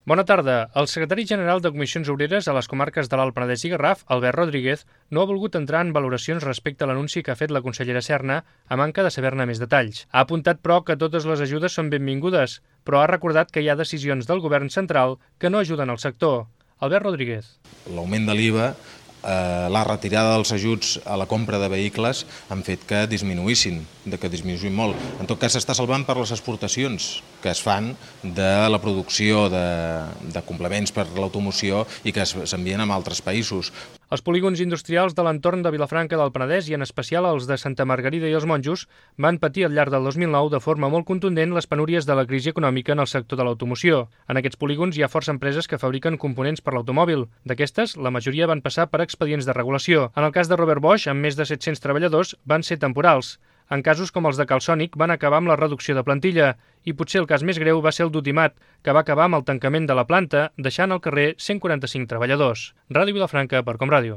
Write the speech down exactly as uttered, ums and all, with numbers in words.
Bona tarda. El secretari general de Comissions Obreres a les comarques de l'Alt Penedès i Garraf, Albert Rodríguez, no ha volgut entrar en valoracions respecte a l'anunci que ha fet la consellera Serna a manca de saber-ne més detalls. Ha apuntat, però, que totes les ajudes són benvingudes, però ha recordat que hi ha decisions del govern central que no ajuden al sector. Albert Rodríguez. L'augment de l'I V A, eh, la retirada dels ajuts a la compra de vehicles han fet que disminuïssin, de que disminuïssin molt. En tot cas, s'està salvant per les exportacions que es fan de la producció de, de complements per l'automoció i que s'envien a altres països. Els polígons industrials de l'entorn de Vilafranca del Penedès i en especial els de Santa Margarida i els Monjos van patir al llarg del dos mil nou de forma molt contundent les penúries de la crisi econòmica en el sector de l'automoció. En aquests polígons hi ha força empreses que fabriquen components per l'automòbil. D'aquestes, la majoria van passar per expedients de regulació. En el cas de Robert Bosch, amb més de set-cents treballadors, van ser temporals. En casos com els de Calsonic van acabar amb la reducció de plantilla i potser el cas més greu va ser el d'Utimat, que va acabar amb el tancament de la planta, deixant al carrer cent quaranta-cinc treballadors. Ràdio Vilafranca per Com Ràdio.